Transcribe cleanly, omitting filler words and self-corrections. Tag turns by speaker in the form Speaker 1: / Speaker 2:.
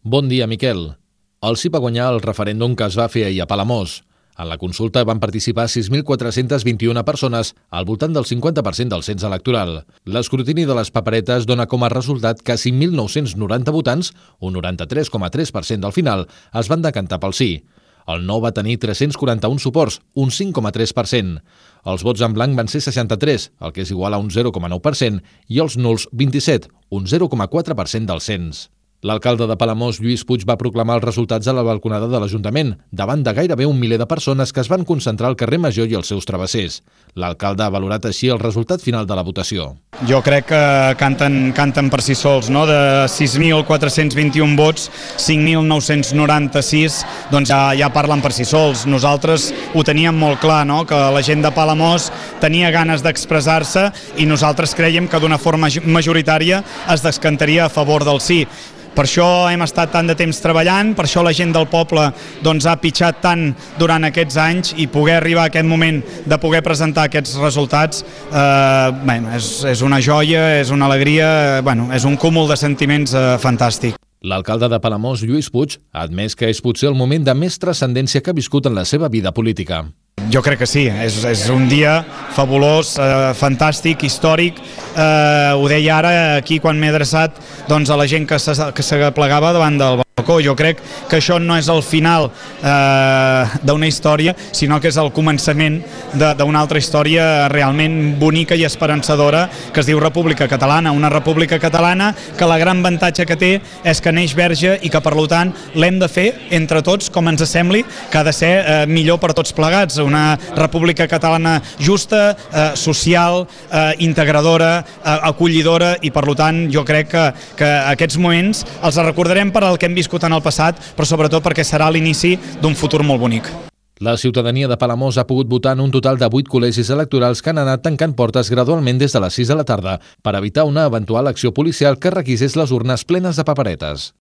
Speaker 1: Bon dia, Miquel. El sí va guanyar el referèndum que es va fer ahir a Palamós. En la consulta van participar 6.421 persones, al voltant del 50% del cens electoral. L'escrutini de les paperetes dona com a resultat que 5.990 votants, un 93,3% del final, es van decantar pel sí. El no va tenir 341 suports, un 5,3%. Els vots en blanc van ser 63, el que és igual a un 0,9%, i els nuls 27, un 0,4% del cens. L'alcalde de Palamós, Lluís Puig, va proclamar els resultats a la balconada de l'Ajuntament, davant de gairebé 1 miler de persones que es van concentrar al carrer Major i els seus travessers. L'alcalde ha valorat així el resultat final de la votació.
Speaker 2: Jo crec que canten per si sols, no? De 6.421 vots, 5.996 doncs ja parlen per si sols. Nosaltres ho teníem molt clar, no? Que la gent de Palamós tenia ganes d'expressar-se i nosaltres creiem que d'una forma majoritària es descantaria a favor del sí. Per això hem estat tant de temps treballant, per això la gent del poble ha pitjat tant durant aquests anys i poder arribar a aquest moment de poder presentar aquests resultats és una joia, és una alegria, és un cúmul de sentiments fantàstic.
Speaker 1: L'alcalde de Palamós, Lluís Puig, ha admès que és potser el moment de més transcendència que ha viscut en la seva vida política.
Speaker 2: Jo crec que sí, és un dia fabulós, fantàstic, històric. Ho deia ara aquí quan m'he adreçat a la gent que s'aplegava davant del balcó. Jo crec que això no és el final d'una història, sinó que és el començament d'una altra història realment bonica i esperançadora que es diu República Catalana. Una República Catalana que la gran avantatge que té és que neix verge i que per tant l'hem de fer entre tots com ens sembli, que ha de ser millor per tots plegats. Una República Catalana justa, social, integradora, acollidora i per tant jo crec que aquests moments els recordarem per al que hem viscut en el passat, però sobretot perquè serà l'inici d'un futur molt bonic.
Speaker 1: La ciutadania de Palamós ha pogut votar en un total de 8 col·legis electorals que han anat tancant portes gradualment des de les 6 de la tarda per evitar una eventual acció policial que requisés les urnes plenes de paperetes.